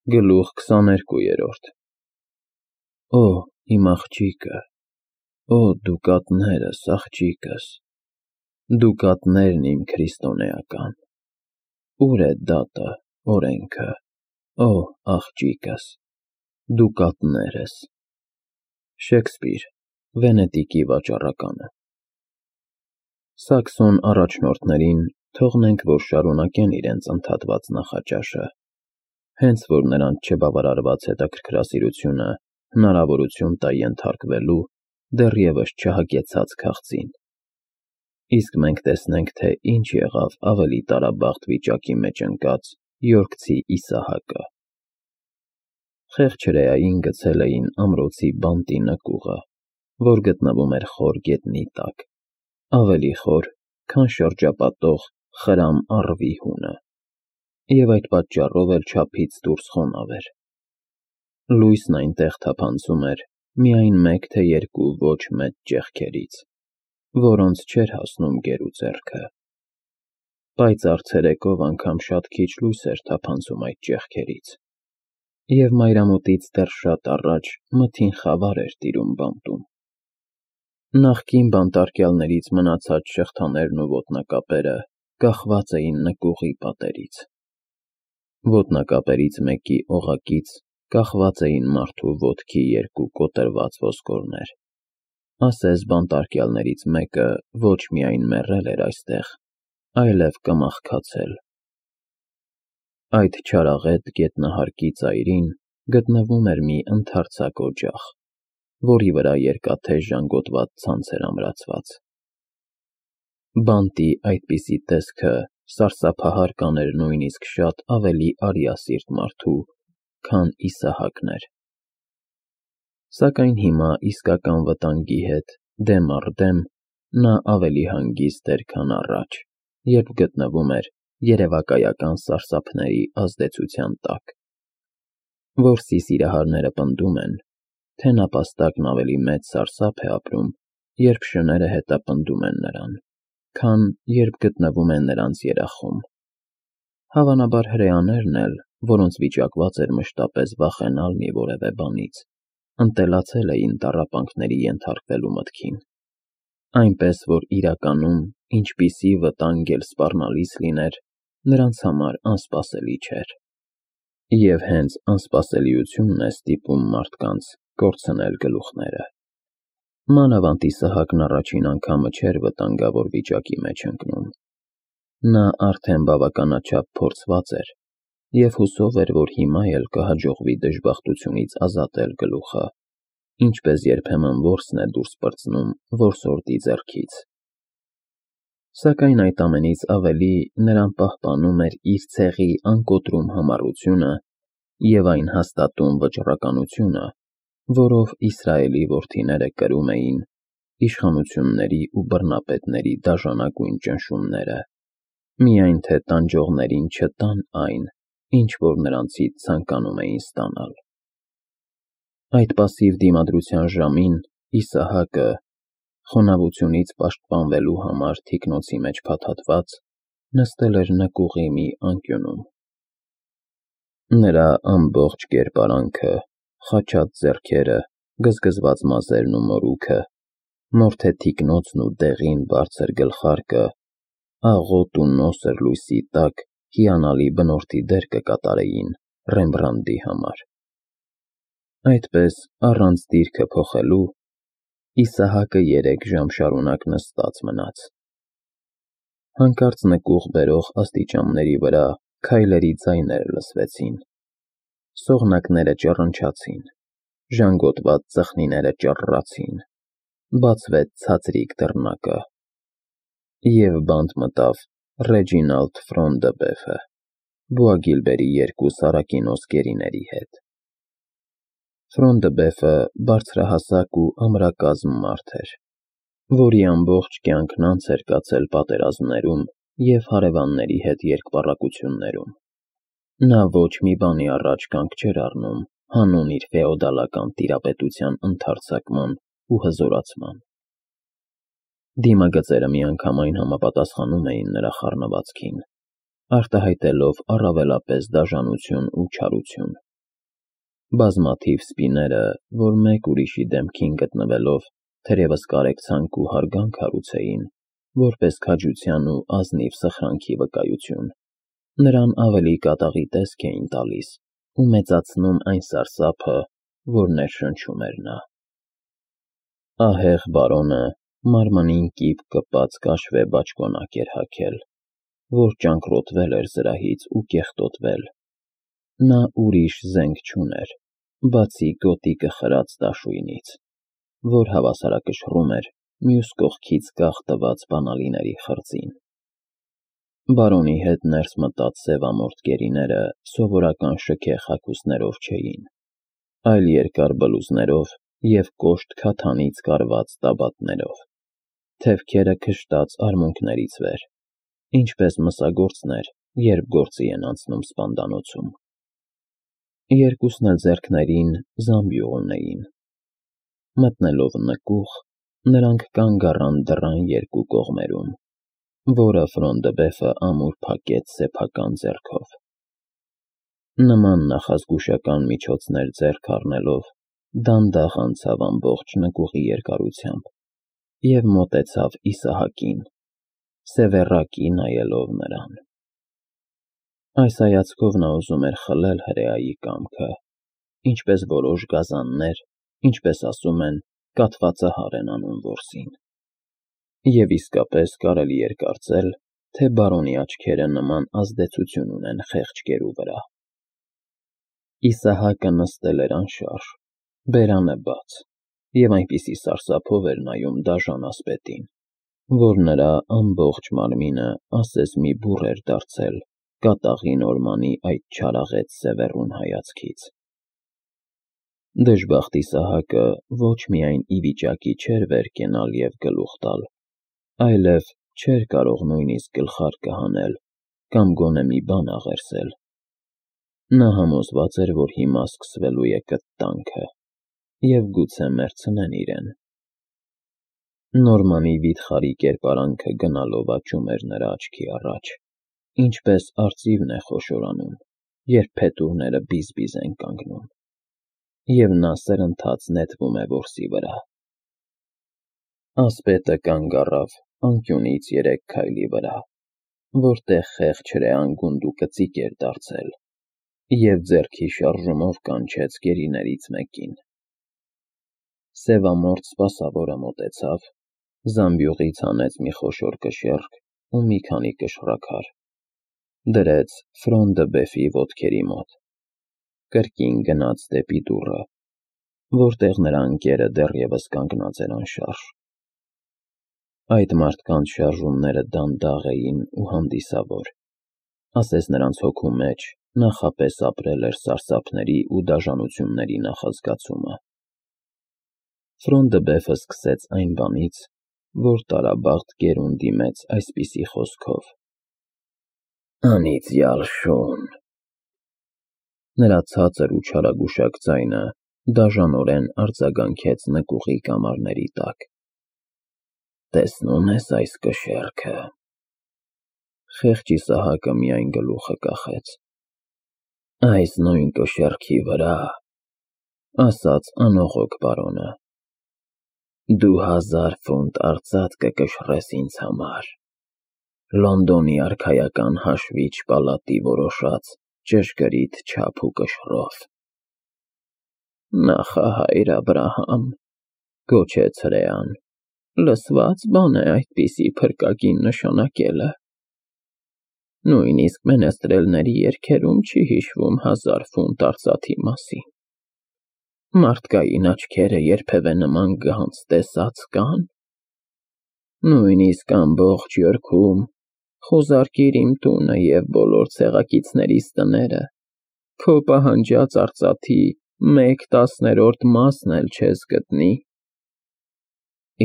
Գլուխ 22 Օ, իմ աղջիկը, Օ, դուկատներս, աղջիկս, դուկատներն իմ քրիստոնեական, Ուր է դատը, օրենքը, Օ, աղջիկս, դուկատներս։ Շեքսպիր, Վենետիկի վաճառականը։ Սաքսոն առաջնորդներին թողնենք, որ շարունակեն իրենց ընդհատված նախաճաշը, հենց որ նրանց չբավարարված հետաքրքրասիրությունը հնարավորություն տա ենթարկվելու դեռևս չհագեցած քաղցին։ Իսկ մենք տեսնենք, թե ինչ եղավ ավելի տարաբախտ վիճակի մեջ ընկած յորքցի Իսահակը։ Խեղճ հրեային գցել էին ամրոցի բանտի նկուղը, որ գտնվում էր խոր գետնի տակ, ավելի խոր, քան շրջապատող խրամ առվի հունը, և այդ պատճառով էլ չափից դուրս խոնավ էր։ Լույսն այնտեղ թափանցում էր միայն մեկ թե երկու ոչ մեծ ճեղքերից, որոնց չէր հասնում գերու ձեռքը։ Պայծառ ցերեկով անգամ շատ քիչ լույս էր թափանցում այդ ճեղքերից, և մայրամուտից դեռ շատ առաջ մթին խավար էր տիրում բանտում։ Նախկին բանտարկյալներից մնացած շղթաներն ու ոտնակապերը կախված էին նկուղի պատերից։ Ոտնակապերից մեկի օղակից կախված էին մարդու ոտքի երկու կոտրված ոսկորներ, ասես բանտարկյալներից մեկը ոչ միայն մեռել էր այստեղ, այլև կմաղքացել։ Այդ չարաղետ գետնահարկի ծայրին գտնվում էր մի ընդարձակ օջախ, որի վրա երկաթե ժանգոտված ցանց էր ամրացված։ Բանտի այդպիսի տեսքը սարսափահար կաներ նույնիսկ շատ ավելի արիասիրտ մարդու, քան Իսահակն էր։ Սակայն հիմա իսկական վտանգի հետ դեմ առ դեմ նա ավելի հանգիստ էր, քան առաջ, երբ գտնվում էր երևակայական սարսափների ազդեցության տակ։ Որսի սիրահարները պնդում են, թե նապաստակն ավելի մեծ սարսափ է ապրում, երբ շները հետապնդում են նրան, քան երբ գտնվում է նրանց երախում։ Հավանաբար հրեաներն էլ, որոնց վիճակված էր մշտապես վախենալ մի որևէ բանից, ընտելացել էին տառապանքների ենթարկվելու մտքին, այնպես որ իրականում ինչպիսի վտանգ էլ սպառնալից լիներ, նրանց համար անսպասելի չէր։ Եվ հենց անսպասելիությունն է ստիպում մարդկանց կորցնել գլուխները։ Մանավանդ Իսահակն առաջին անգամը չէր վտանգավոր վիճակի մեջ ընկնում։ Նա արդեն բավականաչափ փորձված էր և հուսով էր, որ հիմա էլ կհաջողվի դժբախտությունից ազատել գլուխը, ինչպես երբեմն որսն է դուրս պրծնում որսորդի ձեռքից։ Սակայն այդ ամենից ավելի նրան պահպանում էր իր ցեղի անկոտրում համառությունը և այն հաստատուն վճռականությունը, որով Իսրայելի որդիները կրում էին իշխանությունների ու բռնապետների դաժանագույն ճնշումները, միայն թե տանջողներին չտան այն, ինչ որ նրանցից ցանկանում էին ստանալ։ Այդ պասիվ դիմադրության ժամին Իսահակը, խոնավությունից պաշտպանվելու համար թիկնոցի մեջ փաթաթված, նստել էր նկուղի մի անկյունում։ Նրա ամբողջ կերպարանքը, խաչած ձեռքերը, գզգզված մազերն ու մորուքը, մորթե թիկնոցն ու դեղին բարձր գլխարկը աղոտ ու նոսր լույսի տակ հիանալի բնորդի դեր կկատարեին Ռեմբրանդտի համար։ Այդպես, առանց դիրքը փոխելու, Իսահակը 3 ժամ շարունակ նստած մնաց։ Հանկարծ նկուղ բերող աստիճանների վրա քայլերի ձայներ լսվեցին։ Սողնակները ճռնչացին, ժանգոտված ծխնիները ճռռացին, բացվեց ցածրիկ դռնակը, և բանտ մտավ Ռեջինալդ Ֆրոնդըբեֆը, Բուագիլբերի 2 սարակինոս գերիների հետ։ Ֆրոնդըբեֆը բարձրահասակ ու ամրակազմ մարդ էր, որի ամբողջ կյանքն անց էր կացել պատերազմներում և հարևանների հետ երկպառակություններում։ Նա ոչ մի բանի առաջ կանգ չէր առնում հանուն իր ֆեոդալական տիրապետության ընդարձակման ու հզորացման։ Դիմագծերը միանգամայն համապատասխանում էին նրա խառնվածքին, արտահայտելով առավելապես դաժանություն ու չարություն։ Բազմաթիվ սպիները, որ մեկ ուրիշի դեմքին գտնվելով, թերևս կարեկցանք ու հարգանք հարուցեին, որպես քաջության ու ազնիվ սխրանքի վկայություն, նրան ավելի կատաղի տեսք էին տալիս ու մեծացնում այն սարսափը, որ ներշնչում էր նա։ Ահեղ բարոնը մարմնին կիպ կպած կաշվե բաճկոնակ էր հագել, որ ճանկռոտվել էր զրահից ու կեղտոտվել։ Նա ուրիշ զենք չուներ, բացի գոտիկը խրած դաշույնից, որ հավասարակշռում էր մյուս կողքից կախ տված բանալիների խրձին։ Բարոնի հետ ներս մտած սևամորթ գերիները սովորական շքեղ հագուստներով չէին, այլ երկար բլուզներով և կոշտ քաթանից կարված տաբատներով, թևքերը քշտած արմունկներից վեր, ինչպես մսագործներ, երբ գործի են անցնում սպանդանոցում։ Երկուսն էլ ձեռքներին զամբյուղ ունեին։ Մտնելով նկուղ, նրանք կանգ առան դռան երկու կողմերում, որը Ֆրոնդբեֆը ամուր փակեց սեփական ձեռքով։ Նման նախազգուշական միջոցներ ձեռք առնելով, դանդաղ անցավ ամբողջ նկուղի երկարությամբ և մոտեցավ Իսահակին, սևեռակի նայելով նրան։ Այս հայացքով նա ուզում էր խլել հրեայի կամքը, ինչպես որոշ գազաններ, ինչպես ասում են, կաթվածահար են անում որսին։ Եվ իսկապես կարելի էր կարծել, թե բարոնի աչքերը նման ազդեցություն ունեն խեղճ գերու վրա։ Իսահակը նստել էր անշարժ, բերանը բաց, և այնպիսի սարսափով էր նայում դաժան ասպետին, որ նրա ամբողջ մարմինը ասես մի բուռ էր դարձել կատաղի նորմանի այդ չարաղետ սևեռուն հայացքից։ Դժբախտ Իսահակը ոչ միայն ի վիճակի չէր վեր կենալ և գլուխ տալ, այլև չէր կարող նույնիսկ գլխարկը հանել կամ գոնե մի բան աղերսել։ Նա համոզված էր, որ հիմա սկսվելու է կտտանքը, և գուցե մեռցնեն իրեն։ Նորմանի վիթխարի կերպարանքը գնալով աճում էր նրա աչքի առաջ, ինչպես արծիվն է խոշորանում, երբ փետուրները բիզ-բիզ են կանգնում, և նա սրընթաց նետվում է որսի վրա։ Ասպետը կանգ առավ անկյունից 3 քայլի վրա, որտեղ խեղճ հրեան գունդուկծիկ էր դարձել, և ձեռքի շարժումով կանչեց գերիներից մեկին։ Սևամորթ սպասավորը մոտեցավ, զամբյուղից հանեց մի խոշոր կշեռք ու մի քանի կշռաքար, դրեց Ֆրոնդբեֆի ոտքերի մոտ, կրկին գնաց դեպի դուռը, որտեղ նրա ընկերը դեռևս կանգնած էր անշարժ։ Այդ մարդկանց շարժումները դանդաղ էին ու հանդիսավոր, ասես նրանց հոգու մեջ նախապես ապրել էր սարսափների ու դաժանությունների նախազգացումը։ Ֆրոնդբեֆը սկսեց այն բանից, որ տարաբաղտ գերուն դիմեց այսպիսի խոսքով. «Անիծյալ շուն»։ Նրա ցածր ու չարագուշակ ձայնը դաժանորեն արձագանքեց նկուղի կամարների տակ։ «Տեսնում ես այս կշեռքը»։ Խեղճ Իսահակը միայն գլուխը կախեց։ «Այս նույն կշեռքի վրա, ասաց անողոք բարոնը, դու 1000 ֆունտ արծաթ կկշռես ինձ համար, Լոնդոնի արքայական հաշվիչ պալատի որոշած ճշգրիտ չափ ու կշռով»։ «Նախահայր Աբրահամ», գոչեց հրեան, «լսվա՞ծ բան է այդպիսի փրկագին նշանակելը։ Նույնիսկ մենեստրելների երգերում չի հիշվում 1000 ֆունտ արծաթի մասին։ Մարդկային աչքերը երբևէ նման գանձ տեսած կան։ Նույնիսկ ամբողջ Յորքում խուզարկիր իմ տունը և բոլոր ցեղակիցներիս տները, քո պահանջած արծաթի 1/10 մասն էլ չես գտնի»։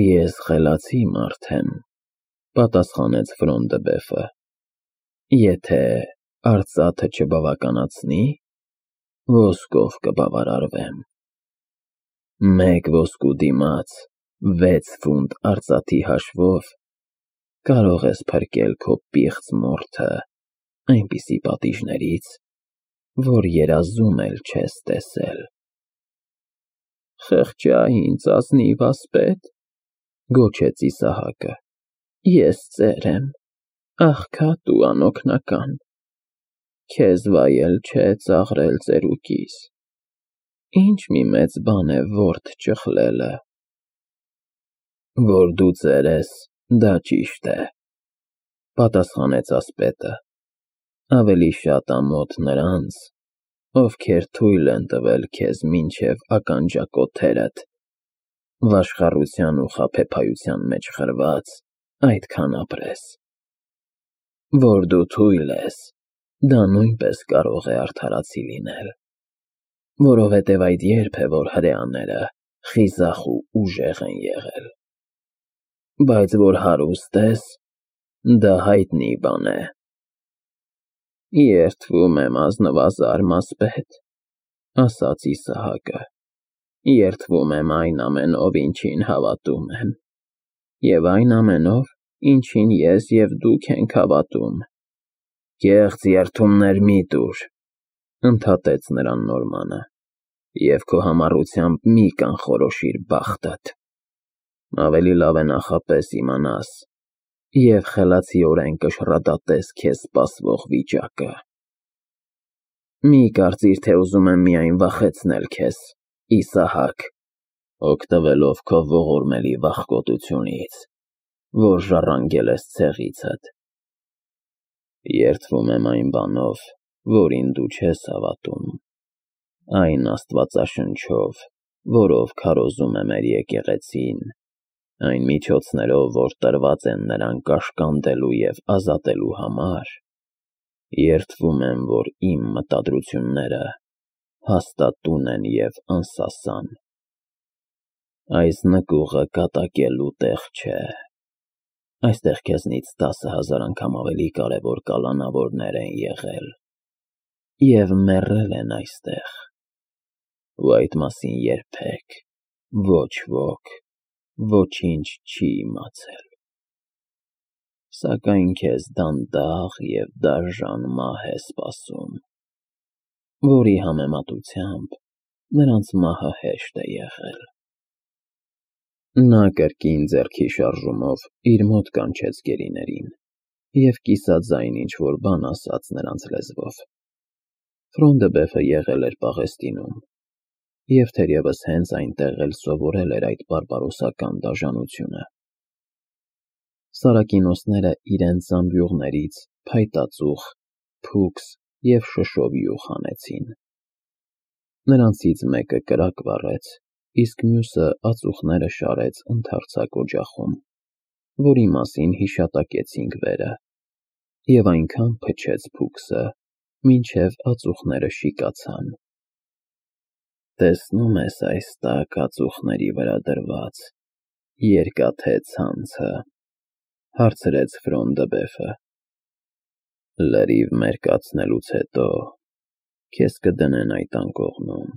«Ես խելացի մարդ եմ», պատասխանեց Ֆրոնդբեֆը, «եթե արծաթը չբավականացնի, ոսկով կբավարարվեմ։ 1 ոսկու դիմաց 6 ֆունտ արծաթի հաշվով կարող ես փրկել քո պիղծ մորթը այնպիսի պատիժներից, որ երազում էլ չես տեսել»։ Խղճա ինձ ազնիվ ասպետ, գոչեց Իսահակը, ես ծեր եմ, աղքատ ու անօգնական, քեզ վայել չէ ծաղրել ծերուկիս, ինչ մի մեծ բան է որդդ ճխլելը, որ դու ծեր ես, դա ճիշտ է, պատասխանեց ասպետը, ավելի շատ ամոթ նրանց, ովքեր թույլ են տվել քեզ մինչև ականջակոթերդ, վաշխառության ու խաբեբայության մեջ խրված, այդքան ապրես, որ դու թույլ ես, դա նույնպես կարող է արդարացի լինել, որովհետև այդ երբ է, որ հրեաները խիզախ ու ուժեղ են եղել, բայց որ հարուստ ես, դա հայտնի բան է, երդվում եմ ազնվազար մասպետ, ասաց Իսահակը, երդվում եմ այն ամենով, ինչին հավատում եմ, և այն ամենով, ինչին ես և դուք ենք հավատում, կեղծ երդումներ մի տուր, ընդհատեց նրան Նորմանը, և քո համառությամբ մի կանխորոշիր բախտդ, ավելի լավ է նախապես իմանաս, և խելացիորեն կշռադատես քեզ սպասվող վիճակը, մի կարծիր, թե ուզում եմ միայն վախեցնել քեզ, Իսահակ, օգտվելով քո ողորմելի վախկոտությունից, որ ժառանգել ես ցեղիցդ, երդվում եմ այն բանով, որին դու չես հավատում, այն աստվածաշնչով, որով քարոզում է մեր եկեղեցին, այն միջոցներով, որ տրված են նրան կաշկանդելու և ազատելու համար, երդվում եմ, որ իմ մտադրությունները հաստատուն են և անսասան, այս նկուղը կատակելու տեղ չէ, այստեղ քեզնից 10,000 անգամ ավելի կարևոր կալանավորներ են եղել և մեռել են այստեղ, ու այդ մասին երբեք ոչ ոք ոչինչ չի իմացել, սակայն քեզ դանդաղ և դաժան մահ է սպասում, որի համեմատությամբ նրանց մահը հեշտ է եղել, նա կրկին ձեռքի շարժումով իր մոտ կանչեց գերիներին և կիսաձայն ինչ-որ բան ասաց նրանց լեզվով, Ֆրոնդըբեֆը եղել էր Պաղեստինում, և թերևս հենց այնտեղ էլ սովորել էր այդ բարբարոսական դաժանությունը, Սարակինոսները իրենց զամբյուղներից փայտածուխ, փուքս և շշով հանեցին, նրանցից մեկը կրակ վառեց, իսկ մյուսը ածուխները շարեց ընդարձակ օջախում, որի մասին հիշատակեցինք վերը, և այնքան փչեց փուքսը, մինչև ածուխները շիկացան, տեսնո՞ւմ ես այս տաք ածուխների վրա դրված երկաթե ցանցը, հարցրեց Ֆրոնդըբեֆը, լրիվ մերկացնելուց հետո քեզ կդնեն այդ անկողնում,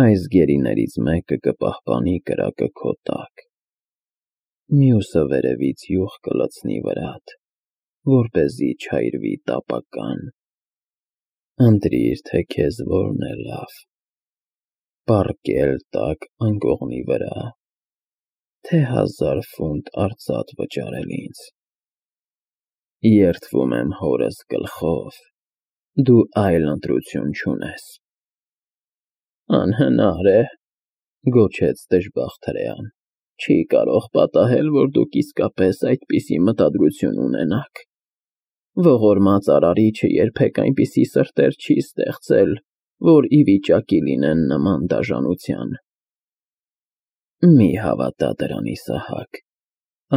այս գերիներից մեկը կպահպանի կրակը քո տակ, մյուսը վերևից յուղ կլցնի վրադ, որպեսզի չայրվի տապական, ընտրիր, թե քեզ որն է լավ, պառկել տաք անկողնի վրա, թե 1000 ֆունտ արծաթ վճարել ինձ, երդվում եմ հորս գլխով, դու այլ ընտրություն չունես, անհնար է, գոչեց դժբախտ հրեան, չի կարող պատահել, որ դուք իսկապես այդպիսի մտադրություն ունենաք, ողորմած արարիչը երբեք այնպիսի սրտեր չի ստեղծել, որ ի վիճակի լինեն նման դաժանության, մի հավատա դրան, Իսահակ,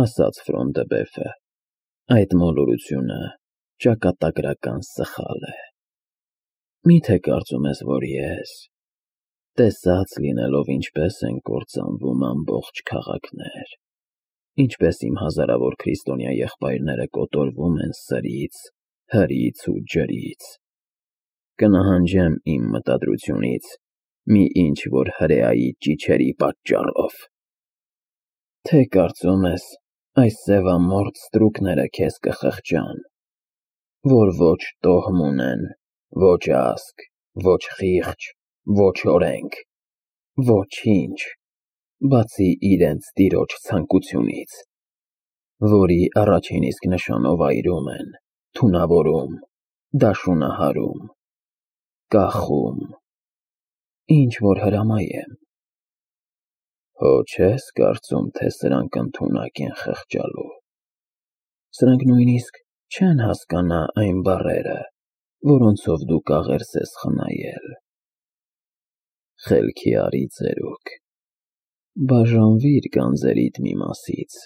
ասաց Ֆրոնդըբեֆը, այդ մոլորությունը ճակատագրական սխալ է, միթե կարծում ես, որ ես, տեսած լինելով ինչպես են կործանվում ամբողջ քաղաքներ, ինչպես իմ հազարավոր քրիստոնյա եղբայրները կոտորվում են սրից, հրից ու ջրից, կնահանջեմ իմ մտադրությունից մի ինչ-որ հրեայի ճիչերի պատճառով, թե կարծում ես այս սևամորթ ստրուկները քեզ կխղճան, որ ոչ տոհմ ունեն, ոչ ազգ, ոչ խիղճ, ոչ օրենք, Ոչինչ, բացի իրենց տիրոջ ցանկությունից, որի առաջին իսկ նշանով այրում են, թունավորում, դաշունահարում, կախում, ինչ որ հրամայեմ։ Հո չես կարծում, թե սրանք ընդունակ են խղճալու։ Սրանք նույնիսկ չեն հասկանա այն բառերը, որոնցով դու կաղերս ես խնայել։ Խելքի արի ծերուկ, բաժանվիր գանձերիդ մի մասից,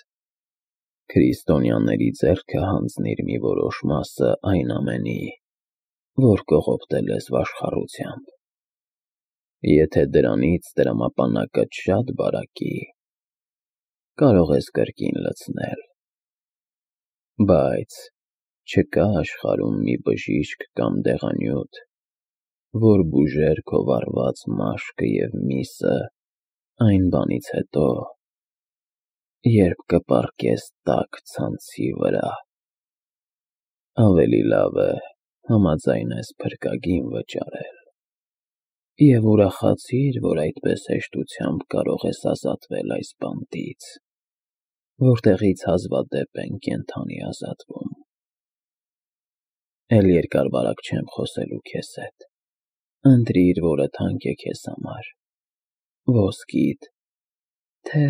քրիստոնյաների ձեռքը հանձնիր մի որոշ մասը այն ամենի, որ կողոպտել ես վաշխառությամբ։ Եթե դրանից տրամապանակդ շատ բարակի, կարող ես կրկին լցնել, բայց չկա աշխարհում մի բժիշկ կամ դեղանյութ, որ բուժեր քո վառված մաշկը և միսը այն բանից հետո, երբ կպառկես տաք ցանցի վրա։ Ավելի լավ է համաձայնես փրկագին վճարել և ուրախացիր, որ այդպես հեշտությամբ կարող ես ազատվել այս բանտից, որտեղից հազվադեպ են կենդանի ազատվում։ Էլ երկար-բարակ չեմ խոսելու քեզ հետ, ընտրիր, որը թանկ է քեզ համար, ոսկիդ, թե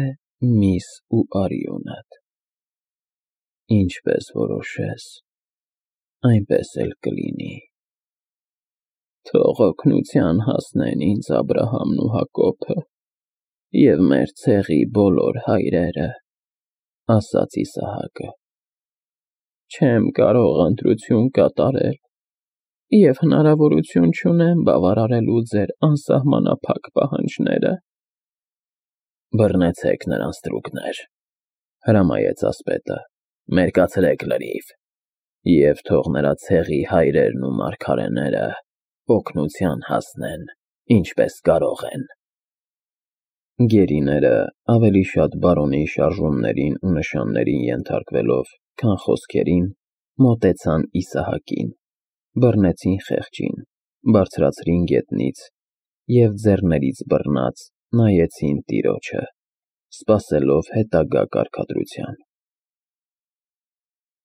միս ու արյունդ, ինչպես որոշես, այնպես էլ կլինի։ Թող օգնության հասնեն ինձ Աբրահամն ու Հակոբը և մեր ցեղի բոլոր հայրերը, ասաց Իսահակը։ Չեմ կարող ընտրություն կատարել և հնարավորություն չունեմ բավարարելու ձեր անսահմանափակ պահանջները։ Բռնեցեք նրան ստրուկներ, հրամայեց ասպետը, մերկացրեք լրիվ, և թող նրա ցեղի հայրերն ու մարգարեները օգնության հասնեն, ինչպես կարող են։ Գերիները ավելի շատ բարոնի շարժումներին ու նշաններին ենթարկվելով, քան խոսքերին, մոտեցան Իսահակին, բռնեցին խեղճին, բարձրացրին գետնից և ձեռներից բռնած նայեցին տիրոջը, սպասելով հետագա կարգադրության։